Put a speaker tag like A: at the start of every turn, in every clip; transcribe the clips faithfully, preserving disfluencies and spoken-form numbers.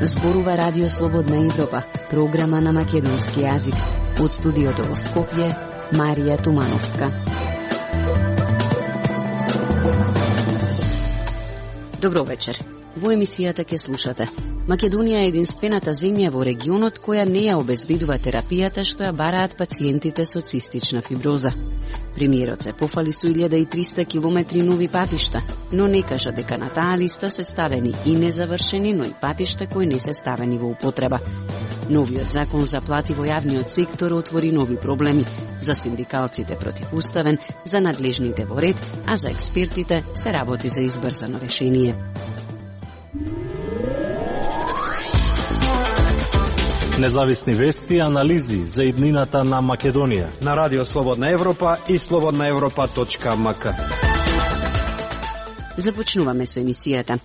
A: Зборува Радио Слободна Европа, програма на македонски јазик. Од студиото во Скопје, Марија Тумановска. Добро вечер. Во емисијата ќе слушате: Македонија е единствената земја во регионот која не ја обезбедува терапијата што ја бараат пациентите со цистична фиброза. Премиерот се пофали со илјада и триста километри нови патишта, но не кажа дека на таа листа се ставени и незавршени, но и патишта кои не се ставени во употреба. Новиот закон за плати во јавниот сектор отвори нови проблеми за синдикалците противуставен, за надлежните во ред, а за експертите се работи за избрзано решение.
B: Независни вести и анализи за иднината на Македонија
C: на Радио Слободна Европа и слободна европа точка ем ка.
A: Започнуваме со емисијата.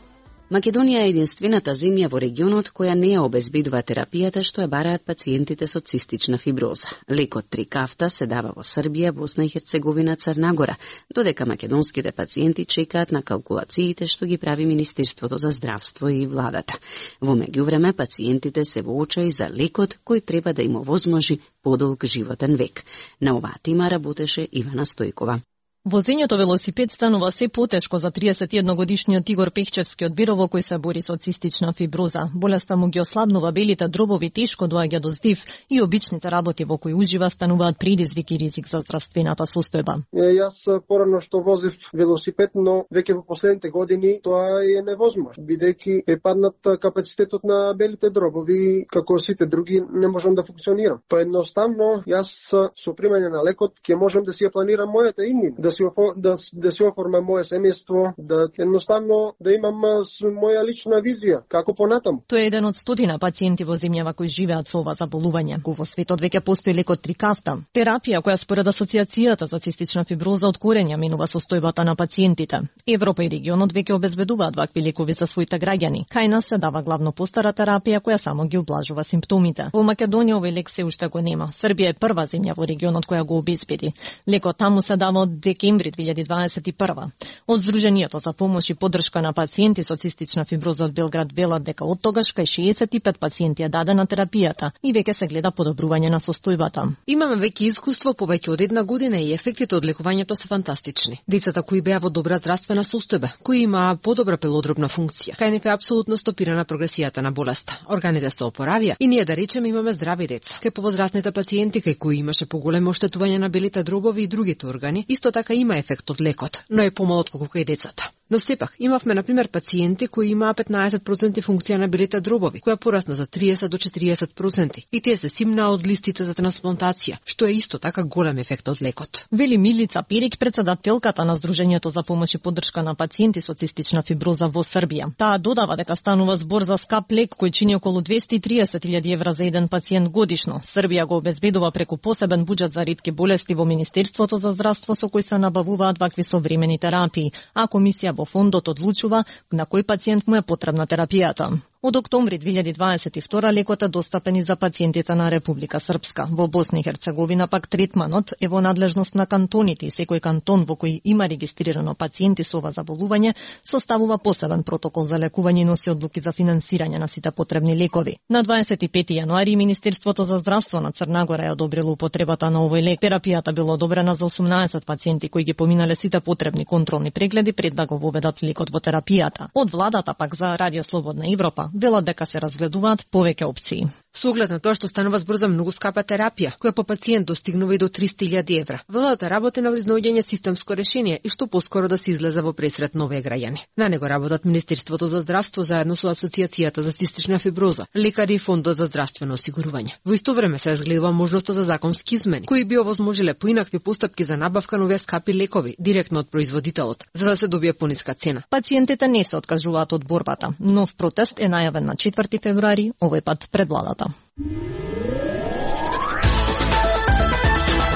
A: Македонија е единствената земја во регионот која не ја обезбедува терапијата што ја бараат пациентите со цистична фиброза. Лекот Трикафта се дава во Србија, Босна и Херцеговина, Црна Гора, додека македонските пациенти чекаат на калкулациите што ги прави Министерството за здравство и владата. Во меѓувреме, пациентите се во очаи за лекот кој треба да им овозможи подолг животен век. На оваа тема работеше Ивана Стојкова.
D: Возењето велосипед станува се потешко за триесет и едногодишниот Игор Пехчевски од Бирово кој се бори со цистична фиброза. Болеста му ги ослабнува белите дробови, тешко доаѓа до здив и обичните работи во кои ужива стануваат предизвик и ризик за здравствената состојба.
E: Јас порано што возев велосипед, но веќе во последните години тоа е невозможно, бидејќи е паднат капацитетот на белите дробови, како сите други не можам да функционирам. Па едноставно јас со примање на лекот ќе можам да си ја планирам мојата иднина, да си да да си оформам моје семејство, да едноставно да имам моја лична визија како понатаму.
D: Тој е еден од стотина пациенти во земјава кои живеат со ова заболување. Во светот веќе постои лекот Трикафта, терапија која според Асоциацијата за цистична фиброза од корења менува состојбата на пациентите. Европа и регионот веќе обезбедуваат вакви лекови за своите граѓани. Кај нас се дава главно постара терапија која само ги облажува симптомите. Во Македонија овој лек се уште го нема. Србија е прва земја во регионот која го обезбеди. Лекот таму се дава од декември две илјади дваесет и прва. Од Сдруженијето за помош и поддршка на пациенти со цистична фиброза од Белград велат дека од тогаш кај шеесет и пет пациенти е дадена терапијата и веќе се гледа подобрување на состојбата.
F: Имаме веќе искуство повеќе од една година и ефектите од лекувањето се фантастични. Децата кои беа во добра здравствена состојба, кои имаа подобра пелодробна функција, кај нив е апсолутно стопирана прогресијата на болеста. Органите се опоравија и ние да речеме имаме здрави деца. Кај повозрастните пациенти кај кои имаше поголемо оштетување на белите дробови и другите органи, исто така има ефект од лекот, но е помал отколку кај децата. Но сепак, имавме, например, пациенти кои имаа петнаесет проценти функција на белите дробови, која порасна за триесет до четириесет проценти. И тие се симнаа од листите за трансплантација, што е исто така голем ефект од лекот.
D: Вели Милица Перик, председателката на Сдруженијето за помош и поддршка на пациенти со цистична фиброза во Србија. Таа додава дека станува збор за скап лек кој чини околу двесте и триесет илјади евра за еден пациент годишно. Србија го обезбедува преку посебен буџет за ретки болести во Министерството за здравство со кој се набавуваат вакви современи терапии, а комисија во фондот одлучува на кој пациент му е потребна терапијата. Од октомври две илјади дваесет и втора лекот е достапен и за пациентите на Република Српска. Во Босна и Херцеговина пак третманот е во надлежност на кантоните и секој кантон во кој има регистрирано пациенти со ова заболување составува посебен протокол за лекување и носи одлуки за финансирање на сите потребни лекови. На дваесет и пети јануари Министерството за здравство на Црна Гора е одобрило употребата на овој лек. Терапијата била одобрена за осумнаесет пациенти кои ги поминале сите потребни контролни прегледи пред да го воведат лекот во терапијата. Од владата пак за Радио Слободна Европа велат дека се разгледуваат повеќе опции.
F: Со оглед на тоа што станува збор за многу скапа терапија, која по пациент достигнува и до триста илјади евра. Владата работи на изнаоѓање системско решение и што поскоро да се излезе во пресред на овие граѓани. На него работат Министерството за здравство заедно со Асоциацијата за цистична фиброза, лекари и Фондот за здравствено осигурување. Во исто време се разгледува можноста за законски измени, кои би овозможиле поинакви постапки за набавка на овие скапи лекови директно од производителот, за да се добие пониска цена.
D: Пациентите не се откажуваат од борбата. Нов протест е најавен на четврти февруари, овој пат пред владата.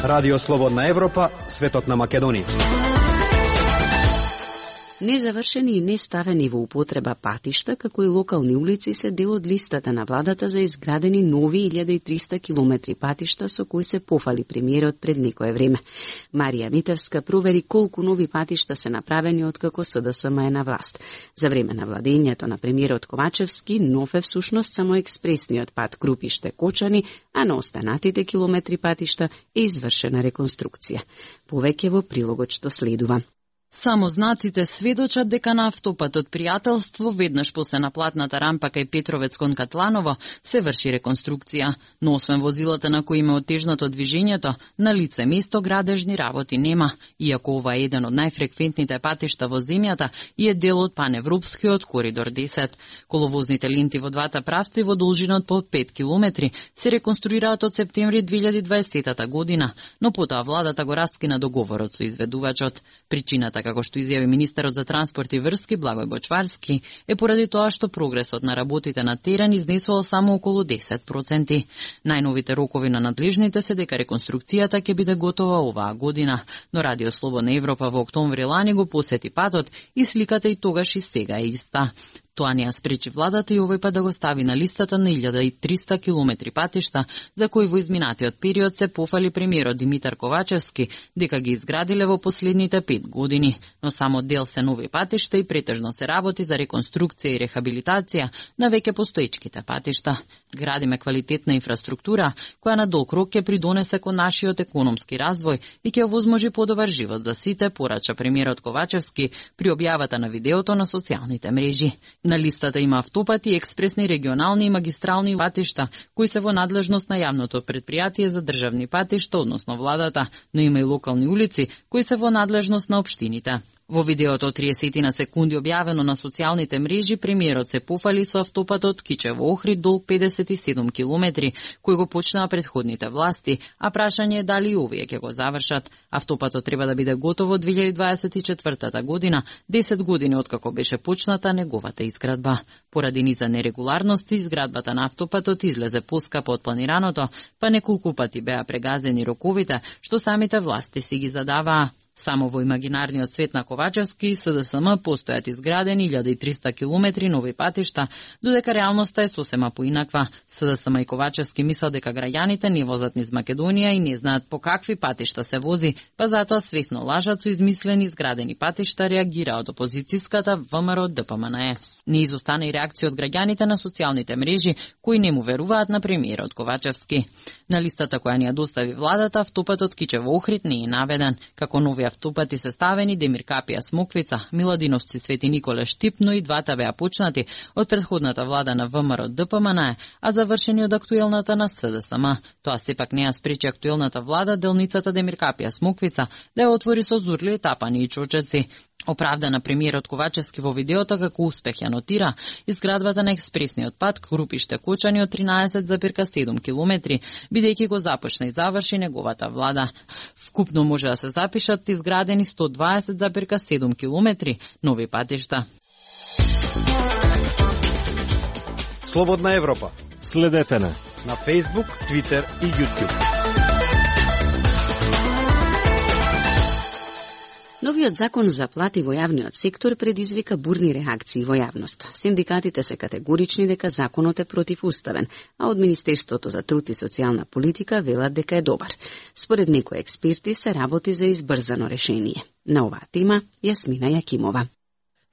C: Радио Слободна Европа, светот на Македонија.
A: Незавршени и неставени во употреба патишта, како и локални улици се дел од листата на владата за изградени нови илјада и триста километри патишта со кои се пофали премиерот пред некое време. Марија Митевска провери колку нови патишта се направени откако СДСМ е на власт. За време на владењето на премиерот Ковачевски, нов е всушност само експресниот пат Крупиште-Кочани, а на останатите километри патишта е извршена реконструкција. Повеќе во прилогот што следува.
G: Само знаците сведочат дека на автопатот Пријателство, веднаш после наплатната рампа кај Петровец кон Катланово, се врши реконструкција, но освен возилата на кои има отежнато движењето, на лице место градежни работи нема, иако ова е еден од најфреквентните патишта во земјата и е дел од паневропскиот коридор десет. Коловозните ленти во двата правци во должина од по пет километри се реконструираат од септември две илјади и дваесета година, но потоа владата го раскина договорот со изведувачот. Причината, како што изјави министерот за транспорт и врски Благој Бочварски, е поради тоа што прогресот на работите на терен изнесувал само околу десет проценти. Најновите рокови на надлежните се дека реконструкцијата ќе биде готова оваа година, но Радио Слободна Европа во октомври лани го посети патот и сликата и тогаш и сега е иста. Тоа не ја спречи владата и овој пат да го стави на листата на илјада и триста километри патишта, за кои во изминатиот период се пофали премиерот Димитар Ковачевски дека ги изградиле во последните пет години, но само дел се нови патишта и претежно се работи за реконструкција и рехабилитација на веќе постоечките патишта. Градиме квалитетна инфраструктура која на долг рок ќе придонесе кон нашиот економски развој и ќе овозможи подобар живот за сите, порача премиерот Ковачевски при објавата на видеото на социјалните мрежи. На листата има автопати, експресни, регионални и магистрални патишта, кои се во надлежност на јавното предпријатие за државни патишта, односно владата, но има и локални улици, кои се во надлежност на општините. Во видеото од триесет на секунди објавено на социјалните мрежи, премиерот се пофали со автопатот Кичево-Охрид долг педесет и седум километри, кој го почнаа претходните власти, а прашање е дали и овие ќе го завршат. Автопатот треба да биде готов во две илјади дваесет и четвртата година, десет години откако беше почната неговата изградба. Поради низа нерегуларности, изградбата на автопатот излезе поскапо од планираното, па неколку пати беа прегазени роковите, што самите власти си ги задаваа. Само во имагинарниот свет на Ковачевски и СДСМ постојат изградени илјада и триста километри нови патишта, додека реалноста е сосема поинаква. СДСМ и Ковачевски мислат дека граѓаните не возат низ Македонија и не знаат по какви патишта се вози, па затоа свесно лажат со измислени изградени патишта, реагира од опозицијската ВМРО ДПМНЕ. Не изостана и реакција од граѓаните на социјалните мрежи, кои не му веруваат на премиерот Ковачевски. На листата која ни ја достави владата, автопатот Кичево-Охрид не е наведен. Како нови автопати се ставени Демир Капија Смоквица, Миладиновци Свети Николе Штип, но и двата беа почнати од претходната влада на ВМРО ДПМНЕ, а завршени од актуелната на СДСМ. Тоа сепак не ја спречи актуелната влада делницата Демир Капија Смоквица да ја отвори со зурли, тапани и чочеци. Оправдана премиерот Ковачевски во видеото како успех ја нотира изградбата на експресниот пат Крупиште-Кочани од тринаесет зарез седум километри, бидејќи го започна и заврши неговата влада. Вкупно може да се запишат изградени сто дваесет зарез седум километри нови патишта.
C: Слободна Европа.
B: Следете на
C: на Facebook, Twitter и YouTube.
A: Новиот закон за плати во јавниот сектор предизвика бурни реакции во јавноста. Синдикатите се категорични дека законот е противуставен, а од Министерството за труд и социјална политика велат дека е добар. Според некои експерти се работи за избрзано решение. На оваа тема Јасмина Јакимова.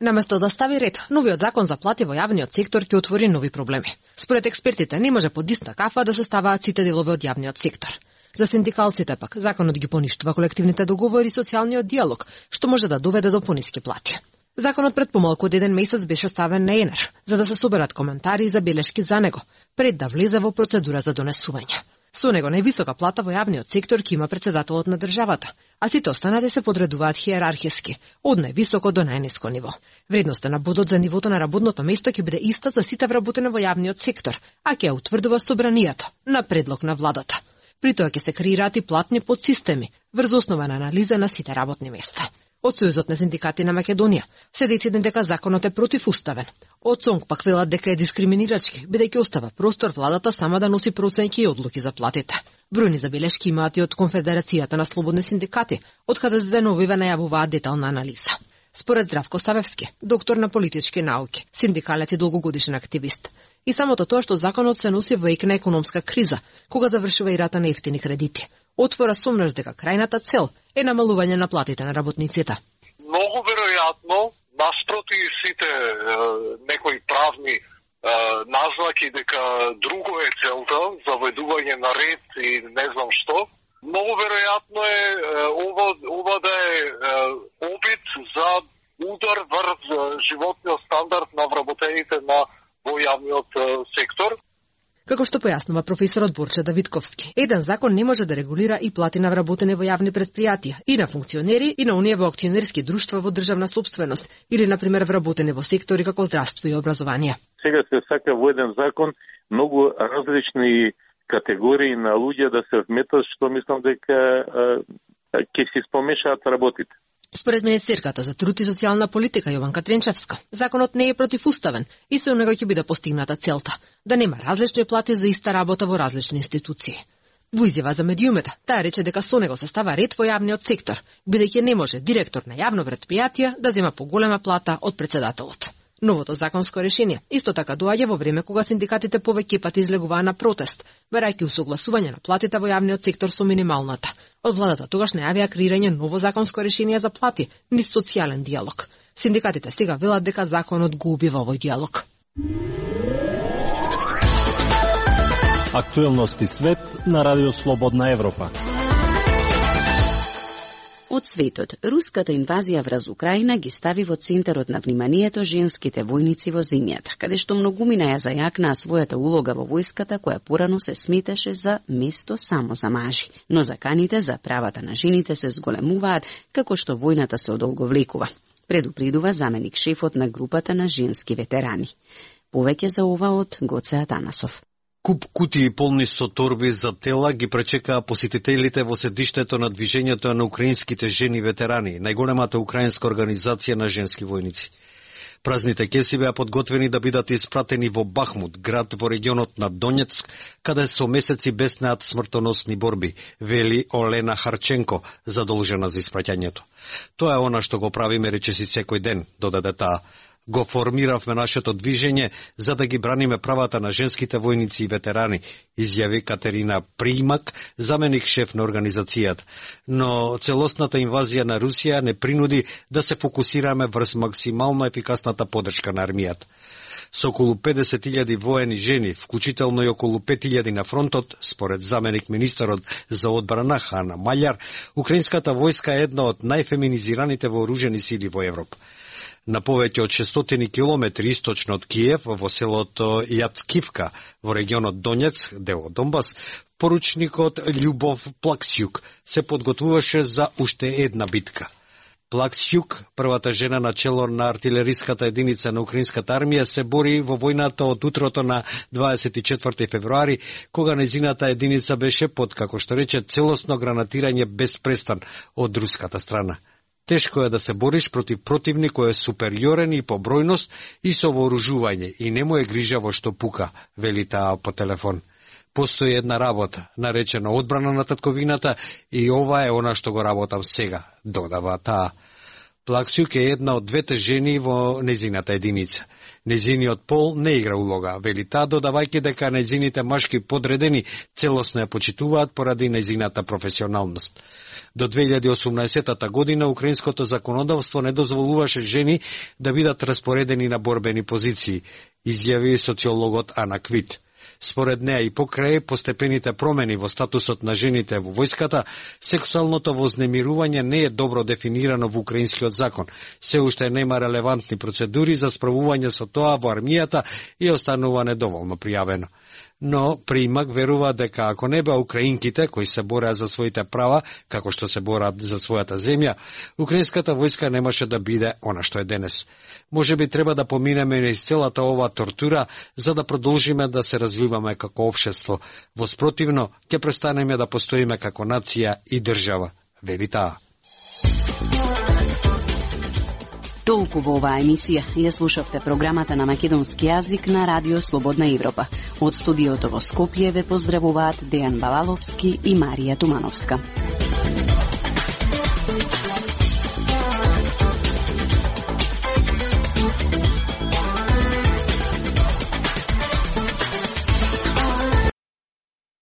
F: Наместо да стави ред, новиот закон за плати во јавниот сектор ќе отвори нови проблеми. Според експертите не може под иста кафа да се ставаат сите делови од јавниот сектор. За синдикалците пак, законот ги поништува колективните договори и социјалниот диалог, што може да доведе до пониски плати. Законот пред помалку од еден месец беше ставен на ЕНЕР, за да се соберат коментари и забелешки за него, пред да влезе во процедура за донесување. Со него највисока плата во јавниот сектор ќе има председателот на државата, а сите останати се подредуваат хиерархиски, од највисоко до најниско ниво. Вредноста на бодот за нивото на работното место ќе биде иста за сите вработени во јавниот сектор, а ќе ја утврдува собранието на предлог на владата. При тоа ќе се креираат и платни подсистеми врз основа на анализа на сите работни места. Од Сојузот на синдикати на Македонија се deciden дека законот е противуставен. Од СОНК пак велат дека е дискриминирачки, бидејќи остава простор владата сама да носи проценки и одлуки за платите. Бројни забелешки имаат и од Конфедерацијата на слободни синдикати, од каде за деновиве најавуваат детална анализа. според Здравко Савевски, доктор на политички науки, синдикалец и долгогодишен активист. И самото тоа што законот се носи во ек на економска криза, кога завршува и рата на ефтини кредити, отвора сомнеш дека крајната цел е намалување на платите на работниците.
H: Многу веројатно, наспроти сите е, некои правни е, назнаки дека друго е целта, заведување на ред и не знам што, многу веројатно е, е ова, ова да е, е опит за удар врз животниот стандард на вработените на во јавниот сектор.
F: Како што појаснува професорот Борче Давидковски, еден закон не може да регулира и плати на вработене во јавни предпријатија, и на функционери, и на оние во акционерски друштва во државна собственост, или, например, вработене во сектори како здравство и образование.
I: Сега се сака во еден закон многу различни категории на луѓе да се вметат, што мислам дека ќе си спомешаат работите.
F: Според Министерката за труд и социјална политика Јованка Тренчевска, законот не е противуставен и со него ќе биде постигната целта да нема различни плати за иста работа во различни институции. Во изјава за медиумите, таа рече дека со него се става ред во јавниот сектор, бидејќи не може директор на јавно претпријатие да зема поголема плата од председателот. Новото законско решение исто така доаѓа во време кога синдикатите повеќе пати излегуваа на протест, барајќи усогласување на платите во јавниот сектор со минималната. Од владата тогаш најавија креирање ново законско решение за плати, низ социјален диалог. Синдикатите сега велат дека законот го убива овој диалог.
B: Актуелности свет на Радио Слободна Европа.
A: Од светот, руската инвазија врз Украина ги стави во центарот на вниманието женските војници во земјата, каде што многумина ја зајакнаа својата улога во војската, која порано се сметаше за место само за мажи. Но заканите за правата на жените се зголемуваат, како што војната се одолговлекува, предупредува заменик шефот на групата на женски ветерани. Повеќе за ова од Гоце Атанасов.
J: Куп кутии полни со торби за тела ги пречекаа посетителите во седиштето на движењето на украинските жени ветерани, најголемата украинска организација на женски војници. Празните кеси беа подготвени да бидат испратени во Бахмут, град во регионот на Донецк, каде со месеци беснеат смртоносни борби, вели Олена Харченко, задолжена за испраќањето. Тоа е она што го правиме речиси секој ден, додаде таа. Го формиравме нашето движење за да ги браниме правата на женските војници и ветерани, изјави Катерина Примак, заменик шеф на организацијата. Но целосната инвазија на Русија не принуди да се фокусираме врз максимално ефикасната поддршка на армијата. Со околу педесет илјади воени жени, вклучително и околу пет илјади на фронтот, според заменик министерот за одбрана Хана Маљар, украинската војска е една од најфеминизираните вооружени сили во Европа. На повеќе од шестстотини километри источно од Киев, во селото Јацкивка, во регионот Донецк, дел од Донбас, поручникот Љубов Плаксјук се подготвуваше за уште една битка. Плаксјук, првата жена на чело на артилериската единица на украинската армија, се бори во војната од утрото на дваесет и четврти февруари, кога незината единица беше под, како што рече, целосно гранатирање без престан од руската страна. Тешко е да се бориш против противник кој е супериорен и по бројност и со вооружување и не му е грижа во што пука, вели таа по телефон. Постои една работа, наречена одбрана на татковината и ова е она што го работам сега, додава таа. Плаксјук е една од двете жени во незината единица. Незиниот пол не игра улога, вели таа, додавајќи дека незините машки подредени целосно ја почитуваат поради незината професионалност. До две илјади и осумнаесетта година украинското законодавство не дозволуваше жени да бидат распоредени на борбени позиции, изјави социологот Ана Квит. Според неа и покрај постепените промени во статусот на жените во војската, сексуалното вознемирување не е добро дефинирано во украинскиот закон. Се уште нема релевантни процедури за справување со тоа во армијата и останува недоволно пријавено. Но Примак верува дека ако не беа украинките кои се бореа за своите права, како што се бораат за својата земја, украинската војска немаше да биде она што е денес. Може би треба да поминеме низ целата ова тортура за да продолжиме да се развиваме како општество. Во спротивно, ќе престанеме да постоиме како нација и држава, вели таа.
A: Толку во оваа емисија. Ја слушавте програмата на македонски јазик на Радио Слободна Европа. Од студиото во Скопје ве поздравуваат Дејан Балаловски и Марија Тумановска.